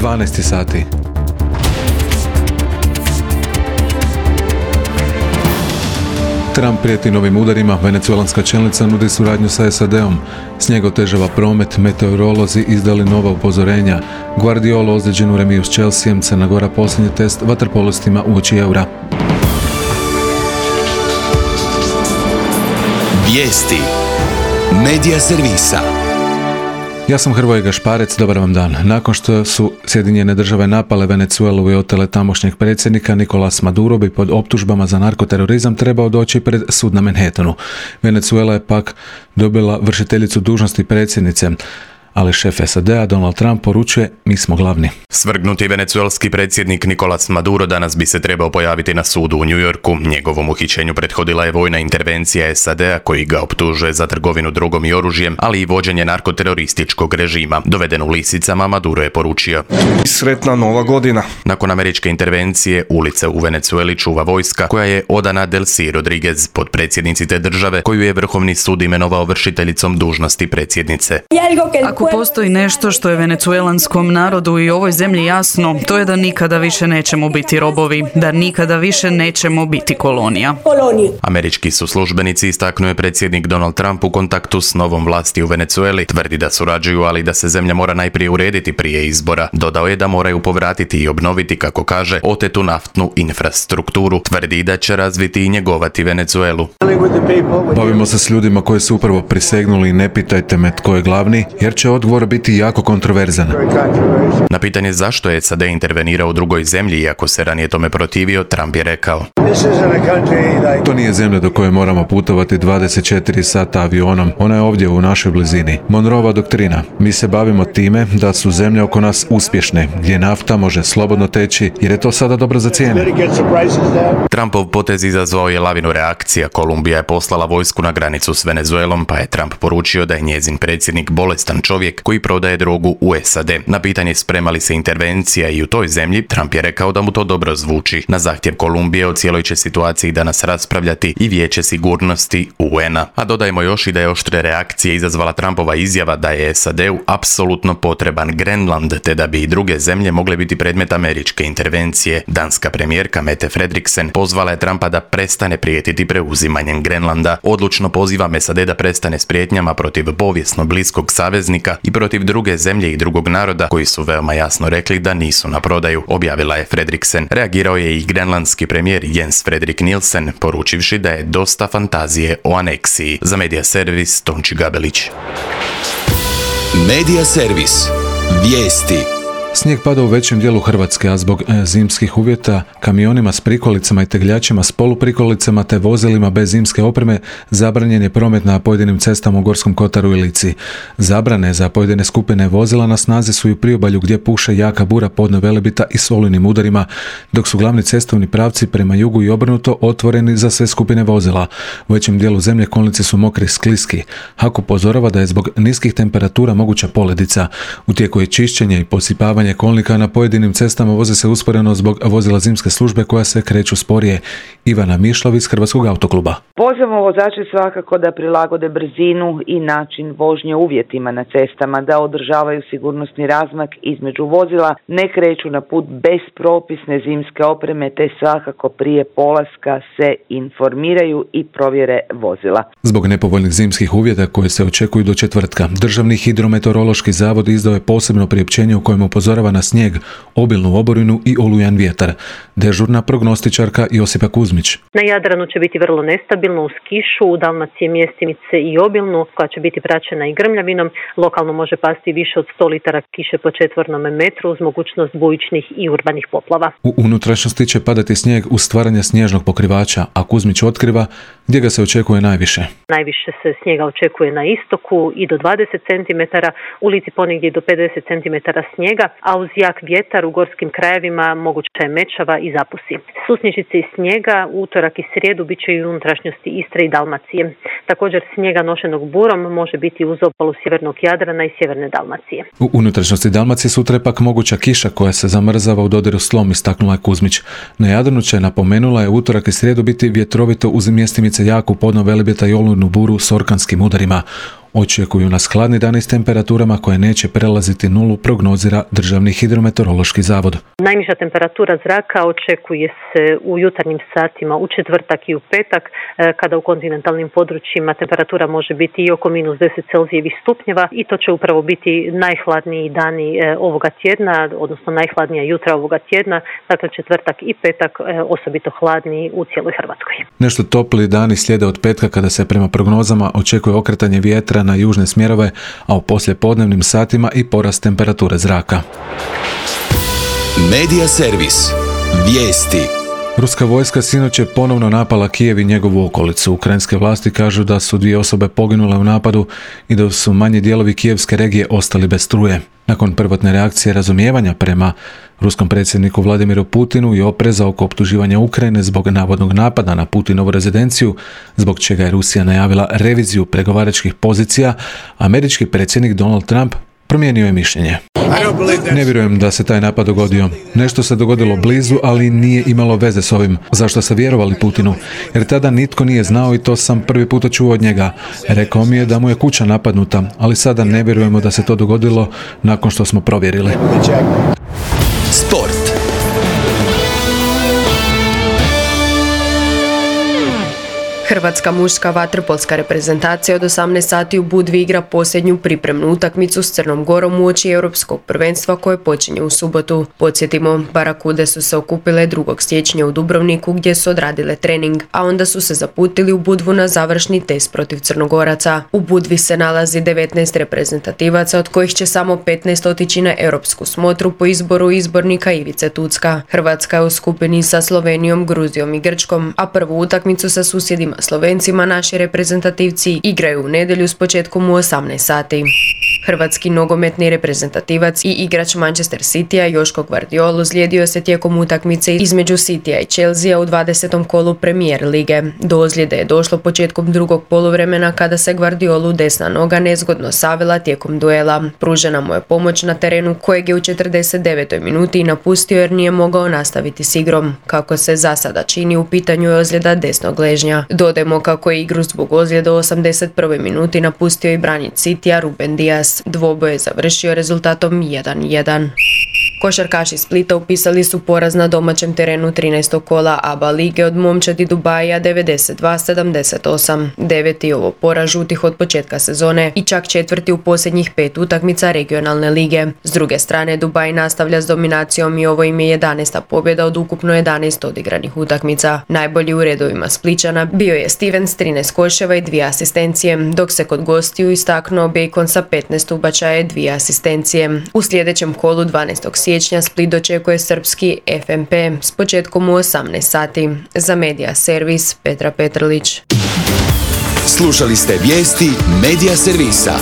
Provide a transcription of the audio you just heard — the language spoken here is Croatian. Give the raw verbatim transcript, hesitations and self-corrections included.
dvanaest sati. Trump prijeti novim udarima, venecuelanska čelnica nudi suradnju sa S A D-om. Snijeg otežava promet, meteorolozi izdali nova upozorenja. Guardiola ozlijeđen u remiju s Chelseaem, Crna Gora posljednji test vaterpolistima uoči eura. Vijesti Medija servisa. Ja sam Hrvoje Gašparec, dobar vam dan. Nakon što su Sjedinjene države napale Venecuelu i otele tamošnjeg predsjednika, Nicolas Maduro bi pod optužbama za narkoterorizam trebao doći pred sud na Manhattanu. Venecuela je pak dobila vršiteljicu dužnosti predsjednice, ali šef S A D-a Donald Trump poručuje: mi smo glavni. Svrgnuti venecuelski predsjednik Nicolas Maduro danas bi se trebao pojaviti na sudu u New Yorku. Njegovom uhićenju prethodila je vojna intervencija S A D-a koji ga optužuje za trgovinu drogom i oružjem, ali i vođenje narkoterorističkog režima. Doveden u lisicama, Maduro je poručio: sretna nova godina. Nakon američke intervencije, ulice u Venecueli čuva vojska koja je odana Delcy Rodriguez, potpredsjednici te države, koju je Vrhovni sud imenovao vršiteljicom dužnosti predsjednice. Ako postoji nešto što je venecuelanskom narodu i ovoj zemlji jasno, to je da nikada više nećemo biti robovi, da nikada više nećemo biti kolonija. Američki su službenici, istaknuo predsjednik Donald Trump u kontaktu s novom vlasti u Venecueli. Tvrdi da surađuju, ali da se zemlja mora najprije urediti prije izbora. Dodao je da moraju povratiti i obnoviti, kako kaže, otetu naftnu infrastrukturu. Tvrdi da će razviti i njegovati Venecuelu. Bavimo se s ljudima koji su upravo prisegnuli i ne pitajte me tko je glavni, jer će odgovor biti jako kontroverzan. Na pitanje zašto je S A D intervenirao u drugoj zemlji iako se ranije tome protivio, Trump je rekao: to nije zemlja do koje moramo putovati dvadeset četiri sata avionom, ona je ovdje u našoj blizini. Monroeva doktrina: mi se bavimo time da su zemlje oko nas uspješne, gdje nafta može slobodno teći jer je to sada dobro za cijene. Trumpov potez izazvao je lavinu reakcija. Kolumbija je poslala vojsku na granicu s Venezuelom, pa je Trump poručio da je njezin predsjednik bolestan čovjek koji prodaje drogu u S A D. Na pitanje sprema li se intervencija i u toj zemlji, Trump je rekao da mu to dobro zvuči. Na zahtjev Kolumbije o cijeloj će situaciji danas raspravljati i Vijeće sigurnosti U N-a. A dodajmo još i da je oštre reakcije izazvala Trumpova izjava da je S A D-u apsolutno potreban Grenland, te da bi i druge zemlje mogle biti predmet američke intervencije. Danska premijerka Mette Frederiksen pozvala je Trumpa da prestane prijetiti preuzimanjem Grenlanda. Odlučno pozivam S A D da prestane s prijetnjama protiv povijesno bliskog saveznika i protiv druge zemlje i drugog naroda koji su veoma jasno rekli da nisu na prodaju, objavila je Frederiksen. Reagirao je i grenlandski premijer Jens Frederik Nielsen, poručivši da je dosta fantazije o aneksiji. Za Medija servis, Tonči Gabelić. Medija servis. Vijesti. Snijeg pada u većem dijelu Hrvatske, a zbog e, zimskih uvjeta kamionima s prikolicama i tegljačima s poluprikolicama te vozilima bez zimske opreme zabranjen je promet na pojedinim cestama u Gorskom kotaru i Lici. Zabrane za pojedine skupine vozila na snazi su i u priobalju gdje puše jaka bura podno Velebita i s olujnim udarima, dok su glavni cestovni pravci prema jugu i obrnuto otvoreni za sve skupine vozila. U većem dijelu zemlje kolnici su mokri i skliski. HAK upozorava da je zbog niskih temperatura moguća poledica. U tijeku je čišćenje i posipavanje kolnika na pojedinim cestama voze se usporeno zbog vozila zimske službe koja se kreću sporije. Ivana Mišlov iz Hrvatskog autokluba. Pozivamo vozače svakako da prilagode brzinu i način vožnje uvjetima na cestama, da održavaju sigurnosni razmak između vozila, ne kreću na put bez propisne zimske opreme, te svakako prije polaska se informiraju i provjere vozila. Zbog nepovoljnih zimskih uvjeta koje se očekuju do četvrtka, Državni hidrometeorološki zavod izdao je posebno priopćenje u kojem upozorava na snijeg, obilnu oborinu i olujan vjetar. Dežurna prognostičarka Josipa Kuzmić. Na Jadranu će biti vrlo nestabilno uz kišu, u Dalmaciji mjestimice i obilnu, koja će biti praćena i grmljavinom. Lokalno može pasti više od sto litara kiše po četvornom metru uz mogućnost bujičnih i urbanih poplava. U unutrašnjosti će padati snijeg uz stvaranje snježnog pokrivača, a Kuzmić otkriva gdje ga se očekuje najviše. Najviše se snijega očekuje na istoku i do dvadeset centimetara, u Lici ponegdje do pedeset centimetara snijega, a uz jak vjetar u gorskim krajevima moguća je mečava i zapusi. Susnježice i snijega u utorak i srijedu bit će i u unutrašnjosti Istre i Dalmacije. Također snijega nošenog burom može biti uz obalu sjevernog Jadrana i sjeverne Dalmacije. U unutrašnjosti Dalmacije sutra je pak moguća kiša koja se zamrzava u dodiru s tlom, istaknula je Kuzmić. Na Jadranu će, napomenula je, utorak i srijedu biti vjetrovito uz mjestimice jaku podno Velebita i olujnu buru s orkanskim udarima. Očekuju nas hladni dani s temperaturama koje neće prelaziti nulu, prognozira Državni hidrometeorološki zavod. Najniža temperatura zraka očekuje se u jutarnjim satima u četvrtak i u petak, kada u kontinentalnim područjima temperatura može biti i oko minus deset Celzijevih stupnjeva i to će upravo biti najhladniji dani ovoga tjedna, odnosno najhladnija jutra ovoga tjedna, dakle četvrtak i petak osobito hladni u cijeloj Hrvatskoj. Nešto topli dani slijede od petka kada se prema prognozama očekuje okretanje vjetra na južne smjerove, a u poslijepodnevnim satima i porast temperature zraka. Medija servis. Vijesti. Ruska vojska sinoć je ponovno napala Kijev i njegovu okolicu. Ukrajinske vlasti kažu da su dvije osobe poginule u napadu i da su manji dijelovi kijevske regije ostali bez struje. Nakon prvotne reakcije razumijevanja prema ruskom predsjedniku Vladimiru Putinu i opreza oko optuživanja Ukrajine zbog navodnog napada na Putinovu rezidenciju, zbog čega je Rusija najavila reviziju pregovaračkih pozicija, američki predsjednik Donald Trump promijenio je mišljenje. Ne vjerujem da se taj napad dogodio. Nešto se dogodilo blizu, ali nije imalo veze s ovim. Zašto se vjerovali Putinu? Jer tada nitko nije znao i to sam prvi puta čuo od njega. Rekao mi je da mu je kuća napadnuta, ali sada ne vjerujemo da se to dogodilo nakon što smo provjerili. Sport. Hrvatska muška vaterpolska reprezentacija od osamnaest sati u Budvi igra posljednju pripremnu utakmicu s Crnom Gorom uoči Europskog prvenstva koje počinje u subotu. Podsjetimo, Barakude su se okupile drugog siječnja u Dubrovniku gdje su odradile trening, a onda su se zaputili u Budvu na završni test protiv Crnogoraca. U Budvi se nalazi devetnaest reprezentativaca, od kojih će samo petnaest otići na europsku smotru po izboru izbornika Ivice Tucka. Hrvatska je u skupini sa Slovenijom, Gruzijom i Grčkom, a prvu utakmicu sa susjedima Slovencima naši reprezentativci igraju u nedjelju s početkom u osamnaest sati. Hrvatski nogometni reprezentativac i igrač Manchester Citya Joško Gvardiol ozlijedio se tijekom utakmice između Citya i Chelsea u dvadesetom kolu Premier lige. Do ozljede je došlo početkom drugog poluvremena kada se Gvardiolu desna noga nezgodno savila tijekom duela. Pružena mu je pomoć na terenu kojeg je u četrdeset devetoj minuti napustio jer nije mogao nastaviti s igrom. Kako se za sada čini, u pitanju je ozljeda desnog ležnja. Dodajmo kako je igru zbog ozljede u osamdeset prvoj minuti napustio i branitelj Citya Ruben Dias. Dvoboj je završio rezultatom jedan jedan. Košarkaši Splita upisali su poraz na domaćem terenu trinaestog kola A B A lige od momčadi Dubaija devedeset dva sedamdeset osam. Deveti ovo poraz žutih od početka sezone i čak četvrti u posljednjih pet utakmica regionalne lige. S druge strane, Dubaj nastavlja s dominacijom i ovo im je jedanaesta pobjeda od ukupno jedanaest odigranih utakmica. Najbolji u redovima Spličana bio je Steven s trinaest koševa i dvije asistencije, dok se kod gostiju istaknuo Bacon sa petnaest ubačaja i dvije asistencije. U sljedećem kolu dvanaestog siječnja Split dočekuje srpski F M P s početkom u osamnaest sati. Za Medija servis Petra Petrlić. Slušali ste vijesti Medija servisa.